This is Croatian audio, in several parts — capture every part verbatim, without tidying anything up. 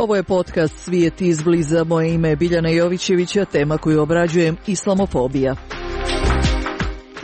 Ovo je podcast Svijet izbliza. Moje ime je Biljana Jovićević, a tema koju obrađujem islamofobija.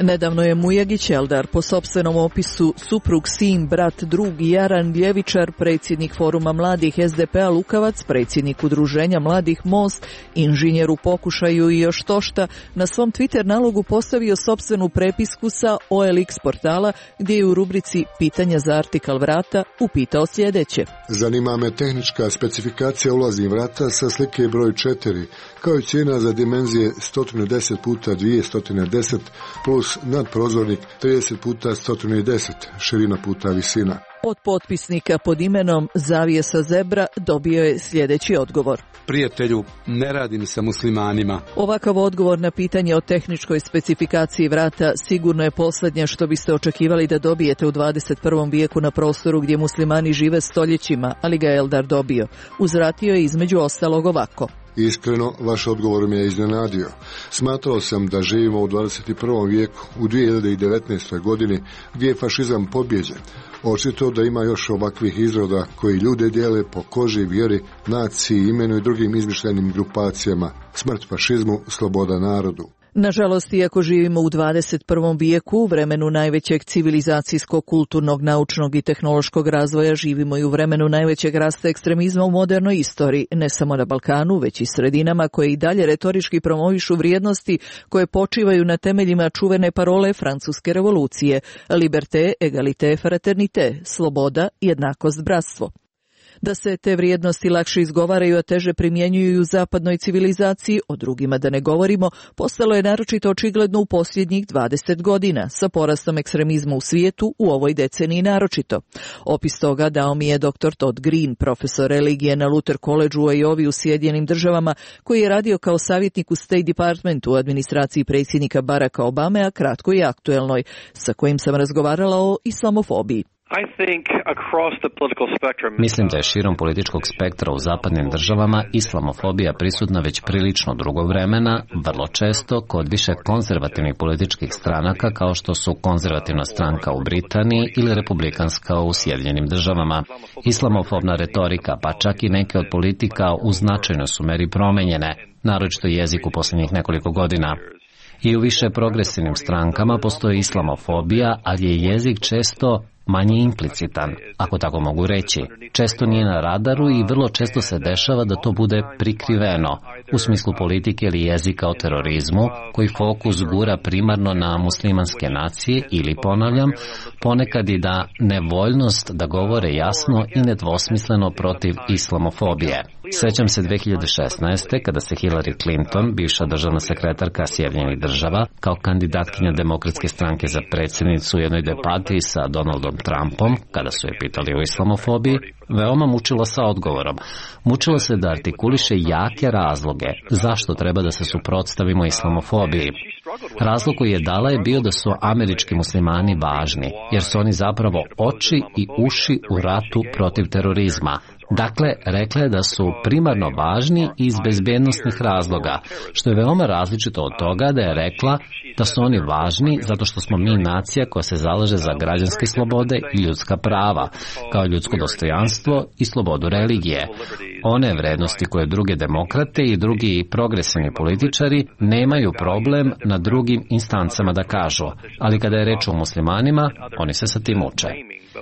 Nedavno je Mujagić Eldar, po sopstvenom opisu suprug, sin, brat, drug, Jaran Ljevičar, predsjednik Foruma mladih S D P-a Lukavac, predsjednik Udruženja mladih Most, inženjer u pokušaju i još tošta, na svom Twitter nalogu postavio sopstvenu prepisku sa O L X portala, gdje je u rubrici Pitanja za artikal vrata upitao sljedeće. Zanima me tehnička specifikacija ulaznih vrata sa slike broj četiri, kao i cijena za dimenzije sto deset puta dvjesto deset plus nadprozornik trideset puta sto deset, širina puta visina. Od potpisnika pod imenom Zavijesa Zebra dobio je sljedeći odgovor. Prijatelju, ne radim sa muslimanima. Ovakav odgovor na pitanje o tehničkoj specifikaciji vrata sigurno je posljednje što biste očekivali da dobijete u dvadeset prvom vijeku na prostoru gdje muslimani žive stoljećima, ali ga Eldar dobio. Uzvratio je između ostalog ovako. Iskreno, vaš odgovor me je iznenadio. Smatrao sam da živimo u dvadeset prvom vijeku, u dvije hiljade devetnaestoj godini, gdje je fašizam pobjeđen. Očito da ima još ovakvih izroda koji ljude dijele po koži, vjeri, naciji, imenu i drugim izmišljenim grupacijama. Smrt fašizmu, sloboda narodu. Nažalost, iako živimo u dvadeset prvom vijeku, u vremenu najvećeg civilizacijskog, kulturnog, naučnog i tehnološkog razvoja, živimo i u vremenu najvećeg rasta ekstremizma u modernoj istoriji, ne samo na Balkanu, već i sredinama koje i dalje retorički promovišu vrijednosti koje počivaju na temeljima čuvene parole Francuske revolucije: liberté, égalité, fraternité, sloboda, jednakost, bratstvo. Da se te vrijednosti lakše izgovaraju, a teže primjenjuju u zapadnoj civilizaciji, o drugima da ne govorimo, postalo je naročito očigledno u posljednjih dvadeset godina, sa porastom ekstremizma u svijetu u ovoj deceniji naročito. Opis toga dao mi je doktor Todd Green, profesor religije na Luther Collegeu u Iowi u Sjedinjenim državama, koji je radio kao savjetnik u State Departmentu u administraciji predsjednika Baracka Obame, a kratko i aktuelnoj, sa kojim sam razgovarala o islamofobiji. Mislim da je širom političkog spektra u zapadnim državama islamofobija prisutna već prilično dugo vremena, vrlo često kod više konzervativnih političkih stranaka kao što su konzervativna stranka u Britaniji ili republikanska u Sjedinjenim državama. Islamofobna retorika, pa čak i neke od politika u značajnoj su meri promenjene, naročito jezik u posljednjih nekoliko godina. I u više progresivnim strankama postoji islamofobija, ali je jezik često manje implicitan, ako tako mogu reći. Često nije na radaru i vrlo često se dešava da to bude prikriveno, u smislu politike ili jezika o terorizmu, koji fokus gura primarno na muslimanske nacije ili, ponavljam, ponekad i da nevoljnost da govore jasno i nedvosmisleno protiv islamofobije. Sjećam se dvije hiljade šesnaeste. kada se Hillary Clinton, bivša državna sekretarka Sjedinjenih država, kao kandidatkinja Demokratske stranke za predsjednicu u jednoj debati sa Donaldom Trumpom, kada su je pitali o islamofobiji, veoma mučila sa odgovorom. Mučila se da artikuliše jake razloge zašto treba da se suprotstavimo islamofobiji. Razlog koji je dala je bio da su američki muslimani važni, jer su oni zapravo oči i uši u ratu protiv terorizma. Dakle, rekla je da su primarno važni iz bezbednosnih razloga, što je veoma različito od toga da je rekla da su oni važni zato što smo mi nacija koja se zalaže za građanske slobode i ljudska prava, kao ljudsko dostojanstvo i slobodu religije. One vrednosti koje druge demokrate i drugi progresivni političari nemaju problem na drugim instancama da kažu, ali kada je reč o muslimanima, oni se sa tim uče.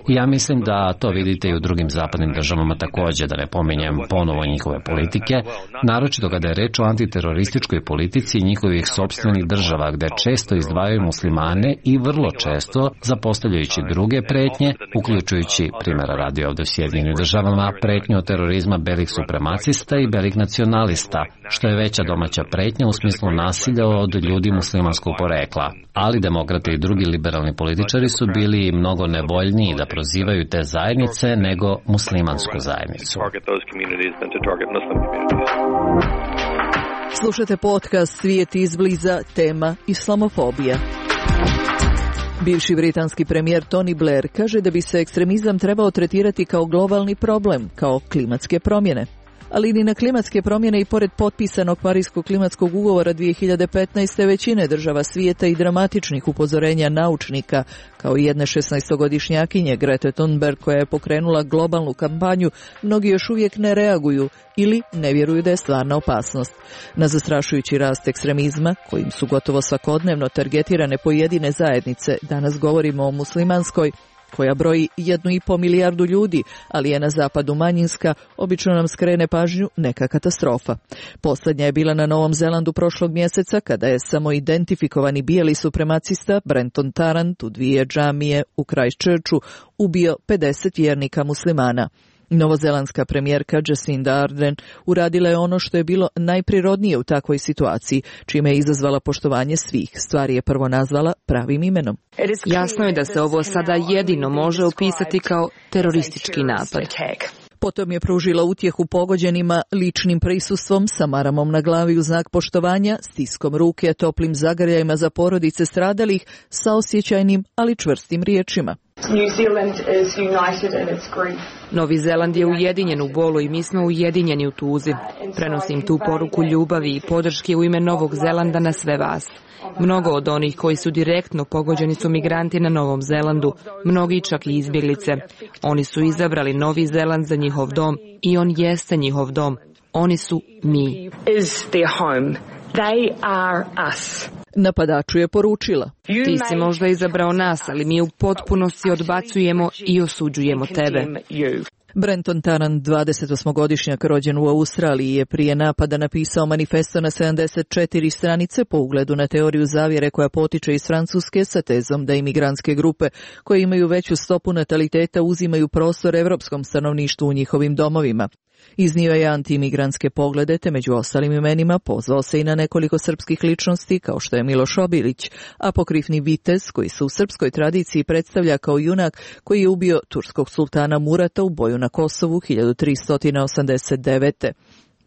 I ja mislim da to vidite i u drugim zapadnim državama također, da ne pominjem ponovo njihove politike, naročito kada je reč o antiterorističkoj politici njihovih sopstvenih država, gde često izdvajaju muslimane i vrlo često zapostavljajući druge pretnje, uključujući, primjera radi ovdje u Sjedinjenim državama, pretnju od terorizma belih supremacista i belih nacionalista, što je veća domaća pretnja u smislu nasilja od ljudi muslimanskog porekla. Ali demokrati i drugi liberalni političari su bili mnogo nevoljniji da prozivaju te zajednice nego muslimansku zajednicu. Slušate podcast Svijet izbliza, tema islamofobija. Bivši britanski premijer Tony Blair kaže da bi se ekstremizam trebao tretirati kao globalni problem, kao klimatske promjene. Ali ni na klimatske promjene i pored potpisanog Pariskog klimatskog ugovora dvije hiljade petnaeste. većine država svijeta i dramatičnih upozorenja naučnika, kao i jedne šesnaestogodišnjakinje Grete Thunberg koja je pokrenula globalnu kampanju, mnogi još uvijek ne reaguju ili ne vjeruju da je stvarna opasnost. Na zastrašujući rast ekstremizma, kojim su gotovo svakodnevno targetirane pojedine zajednice, danas govorimo o muslimanskoj, koja broji jednu i po milijardu ljudi, ali je na zapadu manjinska, obično nam skrene pažnju neka katastrofa. Posljednja je bila na Novom Zelandu prošlog mjeseca, kada je samo identifikovani bijeli supremacista Brenton Tarrant u dvije džamije u Christchurchu ubio pedeset vjernika muslimana. Novozelandska premijerka Jacinda Ardern uradila je ono što je bilo najprirodnije u takvoj situaciji, čime je izazvala poštovanje svih. Stvari je prvo nazvala pravim imenom. Jasno je da se ovo sada jedino može opisati kao teroristički napad. Potom je pružila utjehu pogođenima ličnim prisustvom sa maramom na glavi u znak poštovanja, stiskom ruke, toplim zagrljajima za porodice stradalih, sa osjećajnim, ali čvrstim riječima. Novi Zeland je ujedinjen u bolu i mi smo ujedinjeni u tuzi. Prenosim tu poruku ljubavi i podrške u ime Novog Zelanda na sve vas. Mnogo od onih koji su direktno pogođeni su migranti na Novom Zelandu, mnogi čak i izbjeglice. Oni su izabrali Novi Zeland za njihov dom i on jeste njihov dom. Oni su mi. Napadaču je poručila: Ti si možda izabrao nas, ali mi u potpunosti odbacujemo i osuđujemo tebe. Brenton Tarrant, dvadesetosmogodišnjak rođen u Australiji, je prije napada napisao manifesto na sedamdeset četiri stranice po ugledu na teoriju zavjere koja potiče iz Francuske sa tezom da imigrantske grupe koje imaju veću stopu nataliteta uzimaju prostor evropskom stanovništvu u njihovim domovima. Iznio je antiimigrantske poglede, te među ostalim imenima pozvao se i na nekoliko srpskih ličnosti kao što je Miloš Obilić, apokrifni vitez koji se u srpskoj tradiciji predstavlja kao junak koji je ubio turskog sultana Murata u boju na Kosovu hiljadu tristo osamdeset devete.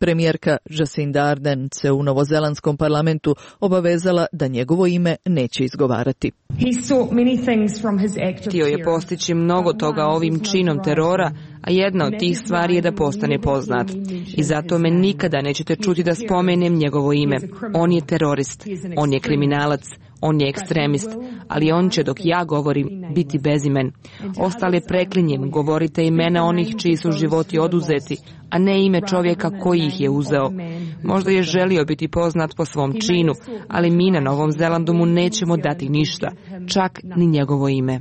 Premijerka Jacinda Ardern se u novozelandskom parlamentu obavezala da njegovo ime neće izgovarati. Htio je postići mnogo toga ovim činom terora, a jedna od tih stvari je da postane poznat. I zato me nikada nećete čuti da spomenem njegovo ime. On je terorist, on je kriminalac, on je ekstremist, ali on će dok ja govorim biti bezimen. Ostale preklinjem, govorite imena onih čiji su životi oduzeti, a ne ime čovjeka koji ih je uzeo. Možda je želio biti poznat po svom činu, ali mi na Novom Zelandu mu nećemo dati ništa, čak ni njegovo ime.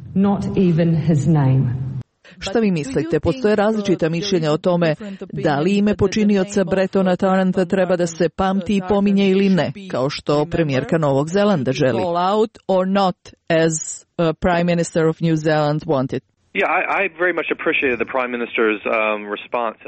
Šta vi mislite? Postoje različita mišljenja o tome da li ime počinioca Brentona Tarranta treba da se pamti i pominje ili ne, kao što premijerka Novog Zelanda želi. All out or not, as uh, Prime Minister of New Zealand wanted.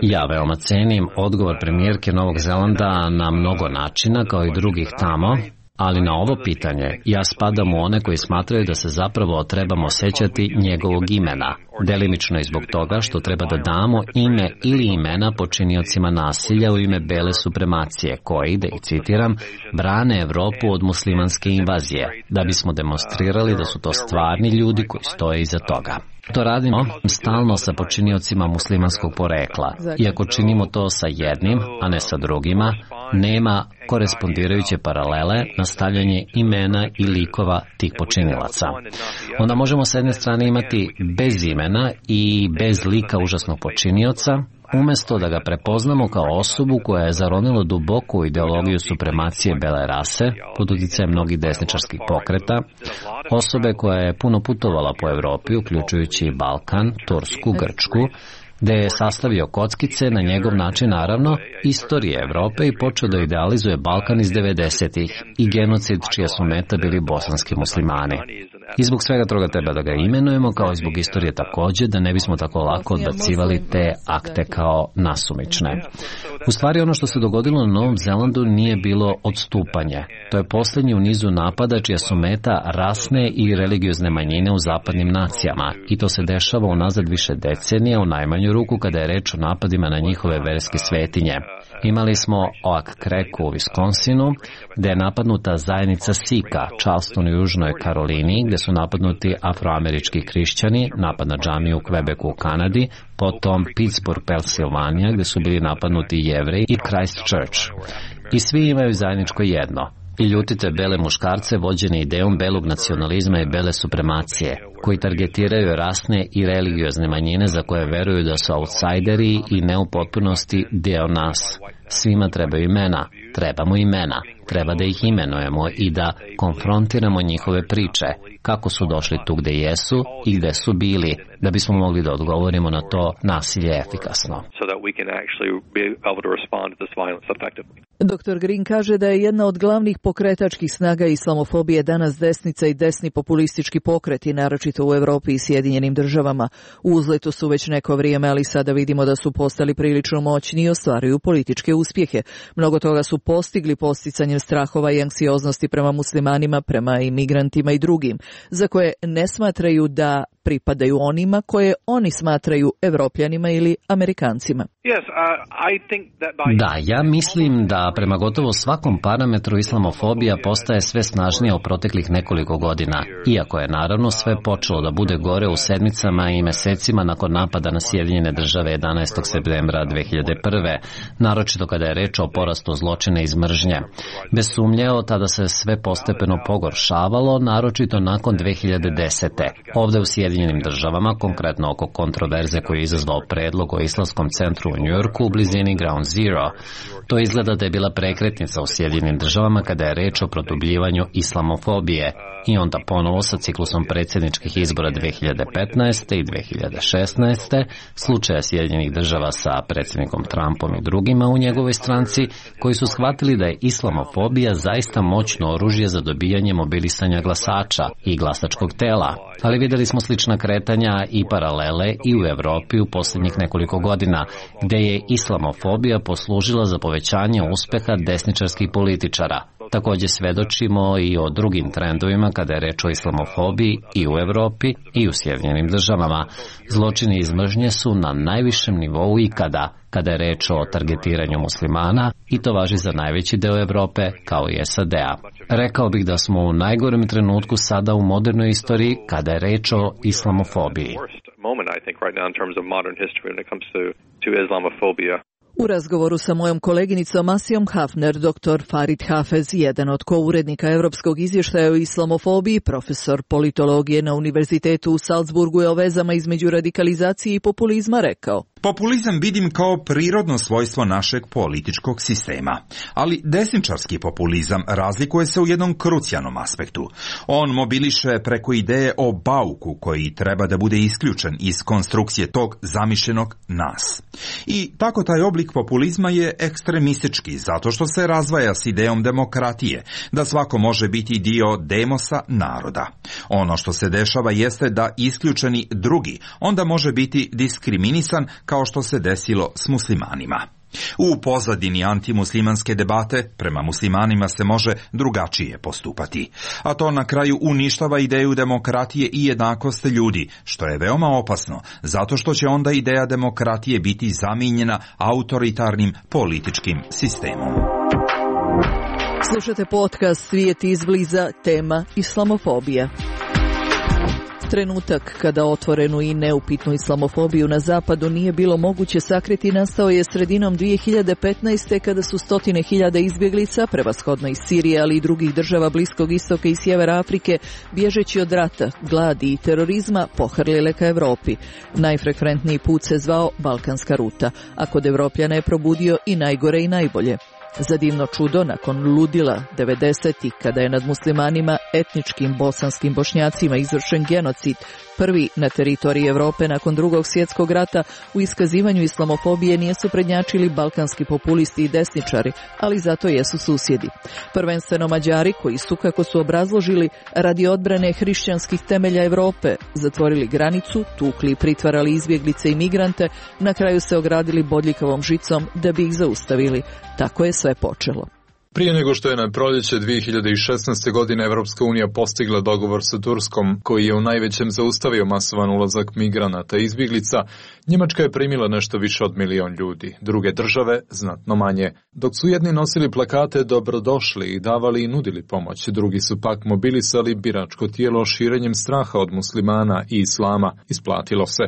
Ja veoma cenim odgovor premijerke Novog Zelanda na mnogo načina, kao i drugih tamo, ali na ovo pitanje ja spadam u one koji smatraju da se zapravo trebamo sećati njegovog imena, delimično i zbog toga što treba da damo ime ili imena počiniocima nasilja u ime bele supremacije koji, da ih citiram, brane Evropu od muslimanske invazije, da bismo demonstrirali da su to stvarni ljudi koji stoje iza toga. To radimo stalno sa počiniocima muslimanskog porekla. Iako činimo to sa jednim, a ne sa drugima, nema korespondirajuće paralele na stavljanje imena i likova tih počinilaca. Onda možemo s jedne strane imati bez imena i bez lika užasnog počinioca, umjesto da ga prepoznamo kao osobu koja je zaronila duboku ideologiju supremacije bele rase pod utjecajem mnogih desničarskih pokreta, osobe koja je puno putovala po Evropi, uključujući Balkan, Tursku, Grčku, gde je sastavio kockice na njegov način, naravno, istorije Evrope i počeo da idealizuje Balkan iz devedesetih i genocid čija su meta bili bosanski muslimani. I zbog svega toga treba da ga imenujemo, kao i zbog istorije također, da ne bismo tako lako odbacivali te akte kao nasumične. U stvari ono što se dogodilo na Novom Zelandu nije bilo odstupanje. To je posljednji u nizu napada čija su meta rasne i religiozne manjine u zapadnim nacijama i to se dešava unazad više decenija, u najmanju ruku kada je reč o napadima na njihove verske svetinje. Imali smo Oak Creek u Wisconsinu, gde je napadnuta zajednica Sika, Charleston u Južnoj Karolini, gde su napadnuti afroamerički hrišćani, napad na džamiju u Quebecu u Kanadi, potom Pittsburgh, Pensilvanija, gde su bili napadnuti Jevreji, i Christchurch. I svi imaju zajedničko jedno. I ljutite bele muškarce vođene idejom belog nacionalizma i bele supremacije, koji targetiraju rasne i religiozne manjine za koje veruju da su outsideri i ne u potpunosti deo nas. Svima trebaju imena, trebamo imena, treba da ih imenujemo i da konfrontiramo njihove priče, kako su došli tu gde jesu i gde su bili, da bismo mogli da odgovorimo na to nasilje efikasno. doktor Green kaže da je jedna od glavnih pokretačkih snaga islamofobije danas desnica i desni populistički pokreti, naročito u Evropi i Sjedinjenim državama. U uzletu su već neko vrijeme, ali sada vidimo da su postali prilično moćni i ostvaruju političke uspjehe. Mnogo toga su postigli posticanjem strahova i anksioznosti prema muslimanima, prema imigrantima i drugim, za koje ne smatraju da pripadaju onima koje oni smatraju Evropljanima ili Amerikancima. Da, ja mislim da prema gotovo svakom parametru islamofobija postaje sve snažnija u proteklih nekoliko godina, iako je naravno sve počelo da bude gore u sedmicama i mesecima nakon napada na Sjedinjene države jedanaestog septembra dve hiljade prve, naročito kada je reč o porastu zločina iz mržnje. Bez sumnje, od tada se sve postepeno pogoršavalo, naročito nakon dve hiljade desete. Ovde u Sjedinjenim državama, konkretno oko kontroverze koju je izazvao predlog o islamskom centru u Njujorku u blizini Ground Zero. To izgleda da je bila prekretnica u Sjedinjenim državama kada je reč o produbljivanju islamofobije. I onda ponovo sa ciklusom predsjedničkih izbora dve hiljade petnaeste i dve hiljade šesnaeste, slučaja Sjedinjenih država sa predsjednikom Trumpom i drugima u njegovoj stranci, koji su shvatili da je islamofobija zaista moćno oružje za dobijanje mobilisanja glasača i glasačkog tela. Ali videli smo slična kretanja i paralele i u Evropi u posljednjih nekoliko godina, gde je islamofobija poslužila za povećanje uspeha desničarskih političara. Također svedočimo i o drugim trendovima kada je reč o islamofobiji i u Evropi i u Sjedinjenim državama. Zločini iz mržnje su na najvišem nivou ikada kada je reč o targetiranju muslimana, i to važi za najveći deo Evrope kao i S A D-a. Rekao bih da smo u najgorem trenutku sada u modernoj istoriji kada je reč o islamofobiji. U razgovoru sa mojom koleginicom Asijom Hafner, doktor Farid Hafez, jedan od kourednika Europskog izvještaja o islamofobiji, profesor politologije na Univerzitetu u Salzburgu, je o vezama između radikalizacije i populizma rekao: Populizam vidim kao prirodno svojstvo našeg političkog sistema, ali desničarski populizam razlikuje se u jednom krucijalnom aspektu. On mobiliše preko ideje o bauku koji treba da bude isključen iz konstrukcije tog zamišljenog nas. I tako taj oblik populizma je ekstremistički zato što se razdvaja s idejom demokratije, da svako može biti dio demosa naroda. Ono što se dešava jeste da isključeni drugi onda može biti diskriminisan, kao što se desilo s muslimanima. U pozadini antimuslimanske debate prema muslimanima se može drugačije postupati, a to na kraju uništava ideju demokratije i jednakosti ljudi, što je veoma opasno, zato što će onda ideja demokratije biti zamijenjena autoritarnim političkim sistemom. Slušate podcast Svijet izbliza, tema islamofobija. Trenutak kada otvorenu i neupitnu islamofobiju na zapadu nije bilo moguće sakriti nastao je sredinom dvije hiljade petnaeste. kada su stotine hiljada izbjeglica, prevashodno iz Sirije, ali i drugih država Bliskog istoka i sjevera Afrike, bježeći od rata, gladi i terorizma, pohrlile ka Evropi. Najfrekventniji put se zvao Balkanska ruta, a kod Evropljana je probudio i najgore i najbolje. Za divno čudo, nakon ludila devedesetih, kada je nad muslimanima, etničkim bosanskim Bošnjacima izvršen genocid, prvi na teritoriji Evrope nakon drugog svjetskog rata, u iskazivanju islamofobije nisu prednjačili balkanski populisti i desničari, ali zato jesu susjedi. Prvenstveno Mađari, koji su, kako su obrazložili, radi odbrane hrišćanskih temelja Evrope, zatvorili granicu, tukli i pritvarali izbjeglice i migrante, na kraju se ogradili bodljikavom žicom da bi ih zaustavili. Tako je sve počelo. Prije nego što je na proljeće dvije hiljade šesnaeste. godine Evropska unija postigla dogovor sa Turskom, koji je u najvećem zaustavio masovan ulazak migranata i izbjeglica, Njemačka je primila nešto više od milion ljudi, druge države znatno manje. Dok su jedni nosili plakate dobrodošli i davali i nudili pomoć, drugi su pak mobilisali biračko tijelo širenjem straha od muslimana i islama. Isplatilo se.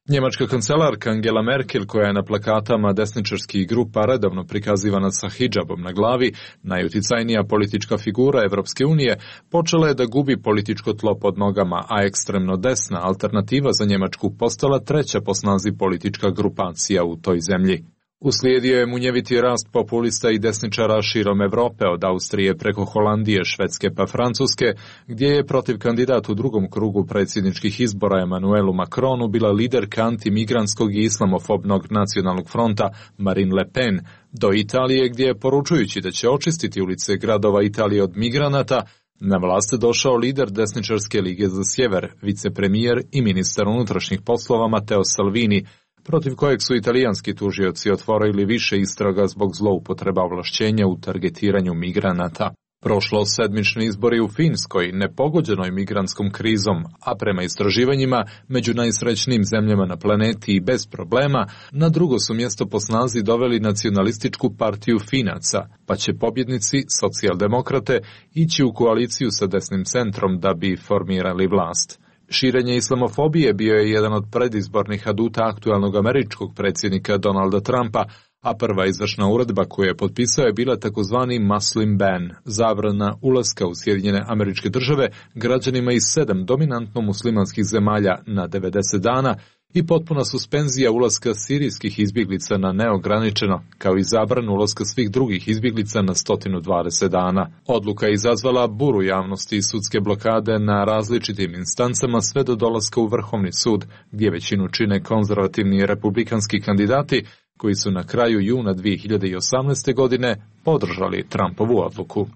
Njemačka kancelarka Angela Merkel, koja je na plakatama desničarskih grupa redovno prikazivana sa hidžabom na glavi, najuticajnija politička figura Evropske unije, počela je da gubi političko tlo pod nogama, a ekstremno desna alternativa za Njemačku postala treća po snazi politička grupacija u toj zemlji. Uslijedio je munjeviti rast populista i desničara širom Evrope, od Austrije preko Holandije, Švedske pa Francuske, gdje je protiv kandidat u drugom krugu predsjedničkih izbora Emmanuelu Macronu bila liderka antimigrantskog i islamofobnog nacionalnog fronta Marine Le Pen, do Italije gdje je, poručujući da će očistiti ulice gradova Italije od migranata, na vlast došao lider desničarske lige za sjever, vicepremijer i ministar unutrašnjih poslova Matteo Salvini, protiv kojeg su italijanski tužioci otvorili više istraga zbog zloupotreba ovlašćenja u targetiranju migranata. Prošlo sedmični izbori u Finskoj, nepogođenoj migrantskom krizom, a prema istraživanjima među najsrećnijim zemljama na planeti i bez problema, na drugo su mjesto po snazi doveli nacionalističku partiju Finaca, pa će pobjednici, socijaldemokrate, ići u koaliciju sa desnim centrom da bi formirali vlast. Širenje islamofobije bio je jedan od predizbornih aduta aktualnog američkog predsjednika Donalda Trumpa, a prva izvršna uredba koju je potpisao je bila takozvani Muslim ban, zabrana ulaska u Sjedinjene Američke Države građanima iz sedam dominantno muslimanskih zemalja na devedeset dana i potpuna suspenzija ulaska sirijskih izbjeglica na neograničeno, kao i zabranu ulaska svih drugih izbjeglica na sto dvadeset dana. Odluka je izazvala buru javnosti i sudske blokade na različitim instancama sve do dolaska u Vrhovni sud, gdje većinu čine konzervativni republikanski kandidati, koji su na kraju juna dvije hiljade osamnaeste. godine podržali Trumpovu odluku.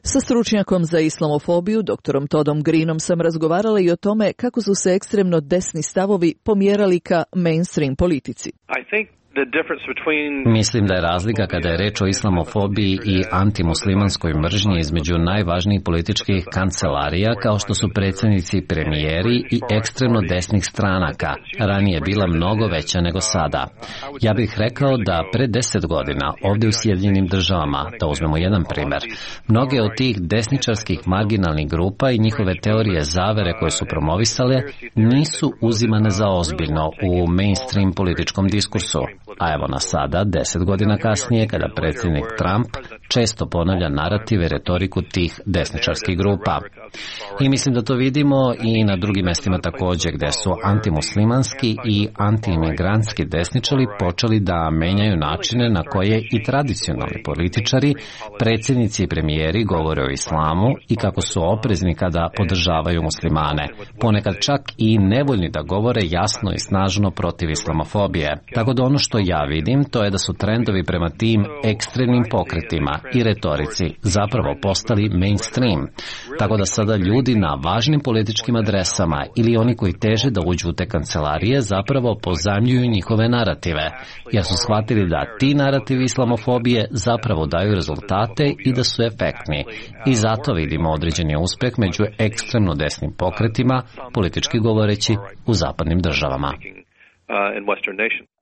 Sa stručnjakom za islamofobiju, doktorom Toddom Greenom, sam razgovarala i o tome kako su se ekstremno desni stavovi pomjerali ka mainstream politici. Mislim da je razlika kada je reč o islamofobiji i antimuslimanskoj mržnji između najvažnijih političkih kancelarija kao što su predsjednici i premijeri i ekstremno desnih stranaka. Ranije bila mnogo veća nego sada. Ja bih rekao da pre deset godina ovdje u Sjedinjenim Državama, da uzmemo jedan primjer, mnoge od tih desničarskih marginalnih grupa i njihove teorije zavere koje su promovisale nisu uzimane za ozbiljno u mainstream političkom diskursu. A evo nas sada, deset godina kasnije, kada predsjednik Trump često ponavlja narative i retoriku tih desničarskih grupa. I mislim da to vidimo i na drugim mjestima također, gdje su antimuslimanski i antiimigrantski desničari počeli da menjaju načine na koje i tradicionalni političari, predsjednici i premijeri govore o islamu i kako su oprezni kada podržavaju muslimane, ponekad čak i nevoljni da govore jasno i snažno protiv islamofobije. Tako da ono što ja vidim, to je da su trendovi prema tim ekstremnim pokretima i retorici zapravo postali mainstream. Tako da sada ljudi na važnim političkim adresama ili oni koji teže da uđu u te kancelarije zapravo pozajmljuju njihove narative, jer su shvatili da ti narativi islamofobije zapravo daju rezultate i da su efektni. I zato vidimo određeni uspjeh među ekstremno desnim pokretima, politički govoreći, u zapadnim državama.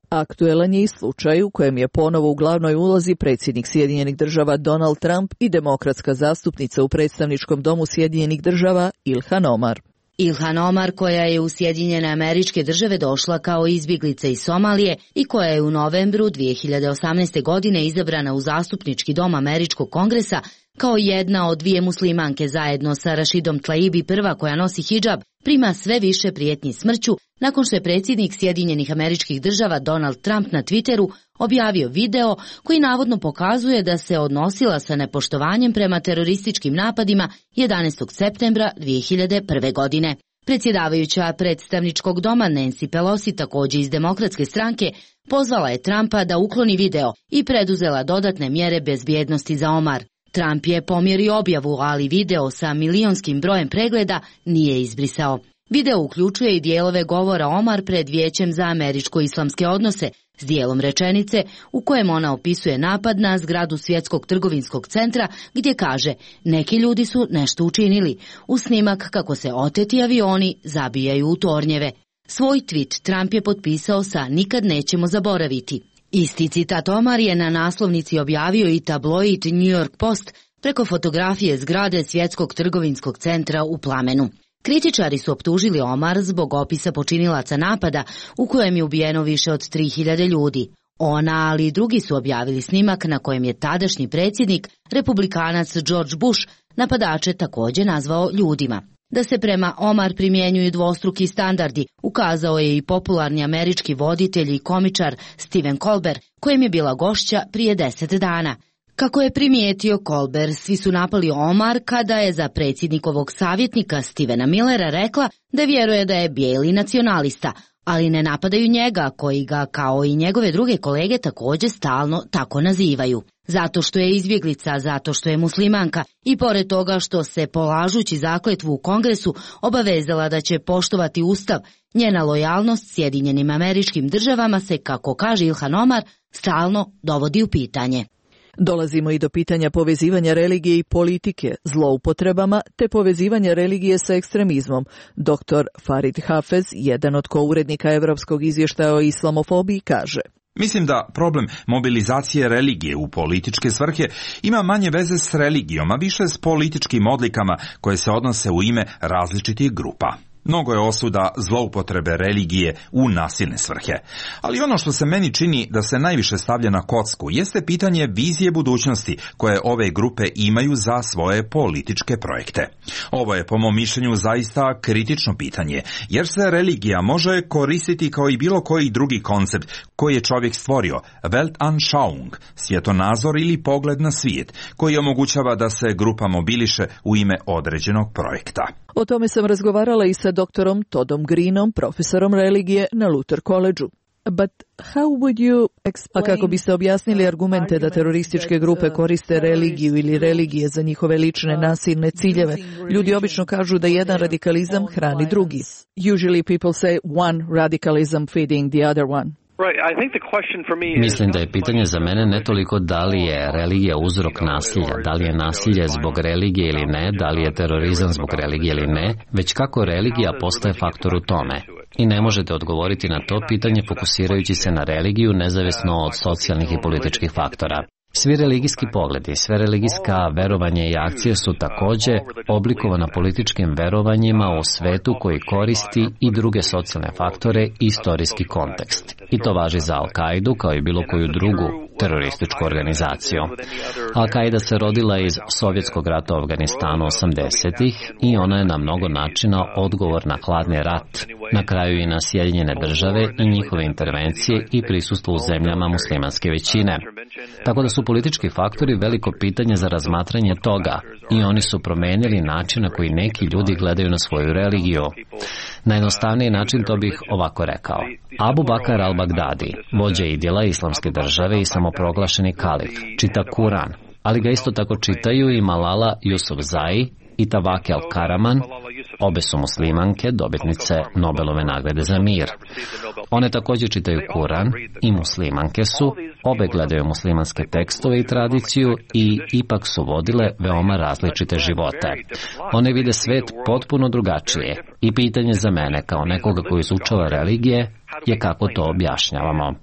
Aktuelan je i slučaj u kojem je ponovo u glavnoj ulozi predsjednik Sjedinjenih Država Donald Trump i demokratska zastupnica u predstavničkom domu Sjedinjenih Država Ilhan Omar. Ilhan Omar, koja je u Sjedinjene Američke Države došla kao izbjeglica iz Somalije i koja je u novembru dvije hiljade osamnaeste. godine izabrana u zastupnički dom Američkog kongresa kao jedna od dvije muslimanke zajedno sa Rashidom Tlaib, prva koja nosi hidžab, prima sve više prijetnji smrću nakon što je predsjednik Sjedinjenih Američkih Država Donald Trump na Twitteru objavio video koji navodno pokazuje da se odnosila sa nepoštovanjem prema terorističkim napadima jedanaestog septembra dvije hiljade prve. godine. Predsjedavajuća predstavničkog doma Nancy Pelosi, također iz demokratske stranke, pozvala je Trumpa da ukloni video i preduzela dodatne mjere bezbjednosti za Omar. Trump je pomjerio objavu, ali video sa milionskim brojem pregleda nije izbrisao. Video uključuje i dijelove govora Omar pred Vijećem za američko-islamske odnose s dijelom rečenice u kojem ona opisuje napad na zgradu Svjetskog trgovinskog centra gdje kaže neki ljudi su nešto učinili, u snimak kako se oteti avioni zabijaju u tornjeve. Svoj tweet Trump je potpisao sa nikad nećemo zaboraviti. Isti citat Omar je na naslovnici objavio i tabloid New York Post preko fotografije zgrade Svjetskog trgovinskog centra u plamenu. Kritičari su optužili Omar zbog opisa počinilaca napada u kojem je ubijeno više od tri hiljade ljudi. Ona, ali i drugi su objavili snimak na kojem je tadašnji predsjednik, republikanac George Bush, napadače također nazvao ljudima. Da se prema Omar primjenjuju dvostruki standardi, ukazao je i popularni američki voditelj i komičar Stephen Colbert, kojem je bila gošća prije deset dana. Kako je primijetio Colbert, svi su napali Omar kada je za predsjednikovog savjetnika Stevena Millera rekla da vjeruje da je bijeli nacionalista, ali ne napadaju njega, koji ga, kao i njegove druge kolege, također stalno tako nazivaju. Zato što je izbjeglica, zato što je muslimanka i pored toga što se, polažući zakletvu u Kongresu, obavezala da će poštovati Ustav, njena lojalnost Sjedinjenim Američkim Državama se, kako kaže Ilhan Omar, stalno dovodi u pitanje. Dolazimo i do pitanja povezivanja religije i politike, zloupotrebama te povezivanja religije sa ekstremizmom. doktor Farid Hafez, jedan od kourednika Europskog izvještaja o islamofobiji, kaže: Mislim da problem mobilizacije religije u političke svrhe ima manje veze s religijom, a više s političkim odlikama koje se odnose u ime različitih grupa. Mnogo je osuda zloupotrebe religije u nasilne svrhe. Ali ono što se meni čini da se najviše stavlja na kocku jeste pitanje vizije budućnosti koje ove grupe imaju za svoje političke projekte. Ovo je po mom mišljenju zaista kritično pitanje, jer se religija može koristiti kao i bilo koji drugi koncept koji je čovjek stvorio, Weltanschauung, svjetonazor ili pogled na svijet, koji omogućava da se grupa mobiliše u ime određenog projekta. O tome sam razgovarala i sa doktorom Toddom Greenom, profesorom religije na Luther College-u. But how would you explain... A kako biste objasnili argumente da terorističke grupe koriste religiju ili religije za njihove lične nasilne ciljeve? Ljudi obično kažu da jedan radikalizam hrani drugi. Usually people say one radicalism feeding the other one. Mislim da je pitanje za mene ne toliko da li je religija uzrok nasilja, da li je nasilje zbog religije ili ne, da li je terorizam zbog religije ili ne, već kako religija postaje faktor u tome. I ne možete odgovoriti na to pitanje fokusirajući se na religiju nezavisno od socijalnih i političkih faktora. Svi religijski pogledi, sve religijska verovanja i akcije su također oblikovana političkim verovanjima u svetu koji koristi i druge socijalne faktore i istorijski kontekst. I to važi za Al-Kaidu kao i bilo koju drugu terorističku organizaciju. Al-Kaida se rodila iz Sovjetskog rata u Afganistanu osamdesetih i ona je na mnogo načina odgovor na hladni rat, na kraju i na Sjedinjene države i njihove intervencije i prisustvo u zemljama muslimanske većine. Tako da su politički faktori veliko pitanje za razmatranje toga i oni su promenili način na koji neki ljudi gledaju na svoju religiju. Na jednostavniji način to bih ovako rekao. Abu Bakr al-Baghdadi, vođa idila islamske države i samoproglašeni kalif, čita Kuran, ali ga isto tako čitaju i Malala Yousafzai i Tawakkol al-Karaman, obe su muslimanke, dobitnice Nobelove nagrade za mir. One također čitaju Kuran i muslimanke su, obe gledaju muslimanske tekstove i tradiciju i ipak su vodile veoma različite živote. One vide svet potpuno drugačije i pitanje za mene kao nekoga koji izučava religije je kako to objašnjavamo.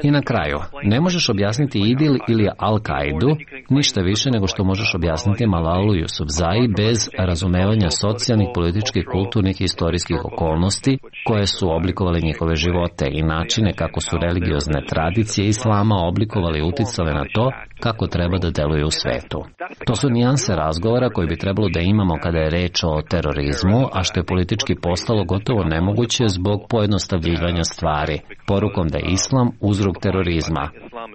I na kraju, ne možeš objasniti Idil ili Al-Kaidu ništa više nego što možeš objasniti Malalu Yousafzai bez razumevanja socijalnih, političkih, kulturnih i istorijskih okolnosti koje su oblikovali njihove živote i načine kako su religiozne tradicije islama oblikovali i uticale na to kako treba da deluju u svetu. To su nijanse razgovora koji bi trebalo da imamo kada je reč o terorizmu, a što je politički postalo gotovo nemoguće zbog pojednostavljivanja stvari, porukom da je islam uzrok terorizma,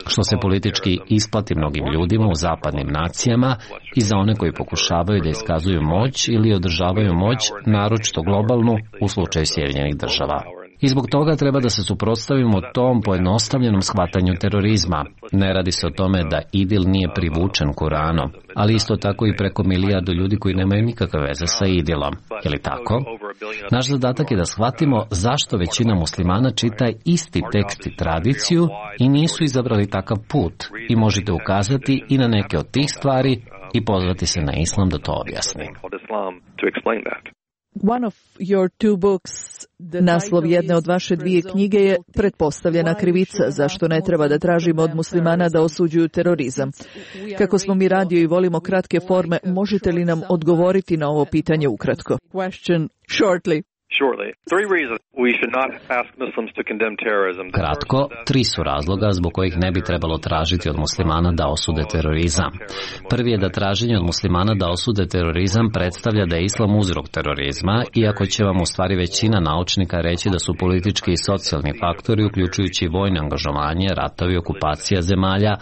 što se politički isplati mnogim ljudima u zapadnim nacijama i za one koji pokušavaju da iskazuju moć ili održavaju moć, naročito globalnu u slučaju Sjedinjenih država. I zbog toga treba da se suprotstavimo tom pojednostavljenom shvatanju terorizma. Ne radi se o tome da Idil nije privučen Kuranom, ali isto tako i preko milijardu ljudi koji nemaju nikakve veze sa Idilom. Je li tako? Naš zadatak je da shvatimo zašto većina muslimana čita isti tekst i tradiciju i nisu izabrali takav put. I možete ukazati i na neke od tih stvari i pozvati se na islam da to objasni. One of your two books, naslov jedne od vaše dvije knjige je Pretpostavljena krivica, zašto ne treba da tražimo od muslimana da osuđuju terorizam. Kako smo mi radio i volimo kratke forme, možete li nam odgovoriti na ovo pitanje ukratko? Question shortly. Kratko, tri su razloga zbog kojih ne bi trebalo tražiti od muslimana da osude terorizam. Prvi je da traženje od muslimana da osude terorizam predstavlja da je islam uzrok terorizma, iako će vam u stvari većina naučnika reći da su politički i socijalni faktori, uključujući vojno angažovanje, ratovi, okupacija zemalja,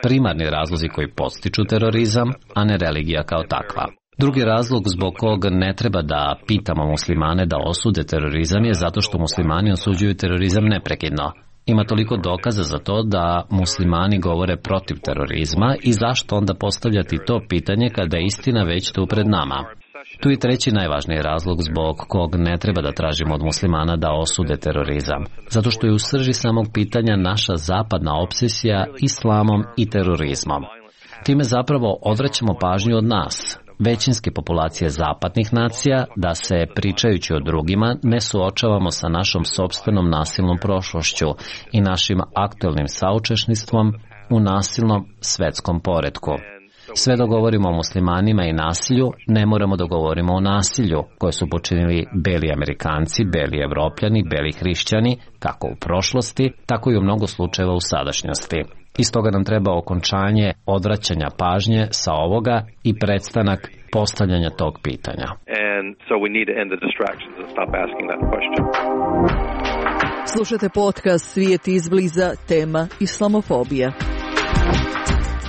primarni razlozi koji podstiču terorizam, a ne religija kao takva. Drugi razlog zbog kog ne treba da pitamo muslimane da osude terorizam je zato što muslimani osuđuju terorizam neprekidno. Ima toliko dokaza za to da muslimani govore protiv terorizma i zašto onda postavljati to pitanje kada je istina već tu pred nama. Tu je treći najvažniji razlog zbog kog ne treba da tražimo od muslimana da osude terorizam. Zato što je u srži samog pitanja naša zapadna obsesija islamom i terorizmom. Time zapravo odvraćamo pažnju od nas, većinske populacije zapadnih nacija, da se, pričajući o drugima, ne suočavamo sa našom sopstvenom nasilnom prošlošću i našim aktuelnim saučesništvom u nasilnom svetskom poretku. Sve dok govorimo o muslimanima i nasilju, ne moramo da govorimo o nasilju koje su počinili beli Amerikanci, beli Evropljani, beli hrišćani, kako u prošlosti, tako i u mnogo slučajeva u sadašnjosti. Iz toga nam treba okončanje odvraćanja pažnje sa ovoga i prestanak postavljanja tog pitanja. Slušate podcast Svijet izbliza, tema islamofobija.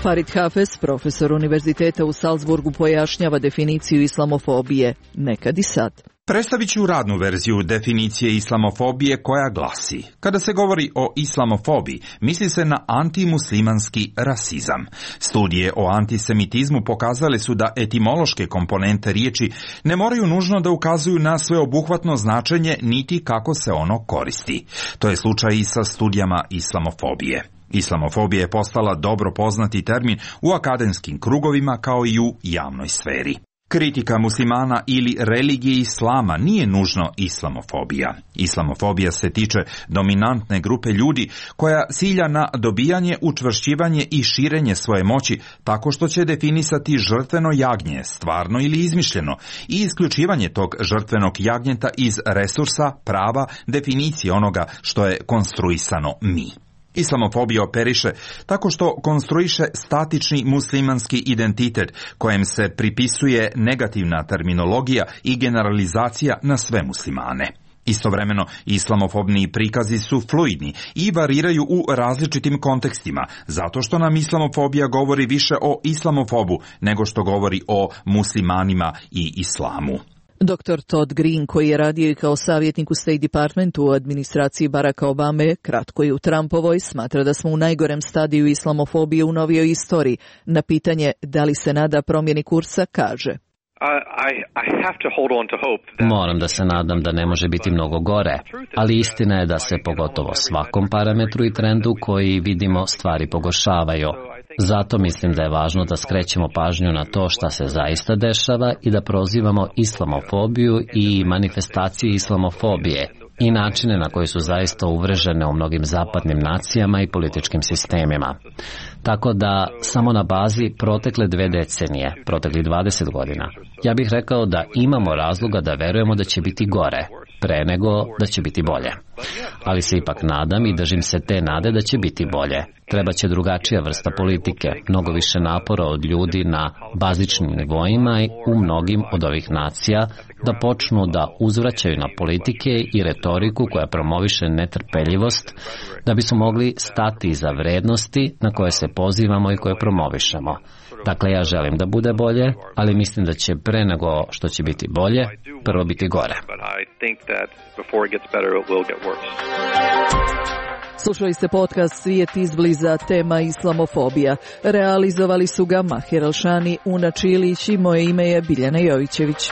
Farid Hafez, profesor Univerziteta u Salzburgu, pojašnjava definiciju islamofobije, nekad i sad. Predstavit ću radnu verziju definicije islamofobije koja glasi: kada se govori o islamofobiji, misli se na antimuslimanski rasizam. Studije o antisemitizmu pokazale su da etimološke komponente riječi ne moraju nužno da ukazuju na sveobuhvatno značenje niti kako se ono koristi. To je slučaj i sa studijama islamofobije. Islamofobija je postala dobro poznati termin u akademskim krugovima kao i u javnoj sferi. Kritika muslimana ili religije islama nije nužno islamofobija. Islamofobija se tiče dominantne grupe ljudi koja cilja na dobijanje, učvršćivanje i širenje svoje moći tako što će definisati žrtveno jagnje, stvarno ili izmišljeno, i isključivanje tog žrtvenog jagnjeta iz resursa, prava, definicije onoga što je konstruisano mi. Islamofobija operiše tako što konstruiše statični muslimanski identitet kojem se pripisuje negativna terminologija i generalizacija na sve muslimane. Istovremeno, islamofobni prikazi su fluidni i variraju u različitim kontekstima, zato što nam islamofobija govori više o islamofobu nego što govori o muslimanima i islamu. doktor Todd Green, koji je radio i kao savjetnik u State Departmentu u administraciji Baracka Obame, kratko i u Trumpovoj, smatra da smo u najgorem stadiju islamofobije u novijoj istoriji. Na pitanje da li se nada promjeni kursa, kaže: Moram da se nadam da ne može biti mnogo gore, ali istina je da se pogotovo svakom parametru i trendu koji vidimo stvari pogoršavaju. Zato mislim da je važno da skrećemo pažnju na to šta se zaista dešava i da prozivamo islamofobiju i manifestacije islamofobije i načine na koji su zaista uvrežene u mnogim zapadnim nacijama i političkim sistemima. Tako da, samo na bazi protekle dve decenije, protekli dvadeset godina, ja bih rekao da imamo razloga da verujemo da će biti gore, pre nego da će biti bolje. Ali se ipak nadam i držim se te nade da će biti bolje. Treba će drugačija vrsta politike, mnogo više napora od ljudi na bazičnim nivoima i u mnogim od ovih nacija da počnu da uzvraćaju na politike i retoriku koja promoviše netrpeljivost, da bismo mogli stati iza vrednosti na koje se pozivamo i koje promovišemo. Dakle, ja želim da bude bolje, ali mislim da će pre nego što će biti bolje, prvo biti gore. Slušali ste podcast Svijet izbliza, tema islamofobija. Realizovali su ga Mahir Alšani, Una Čilić i moje ime je Biljana Jovićević.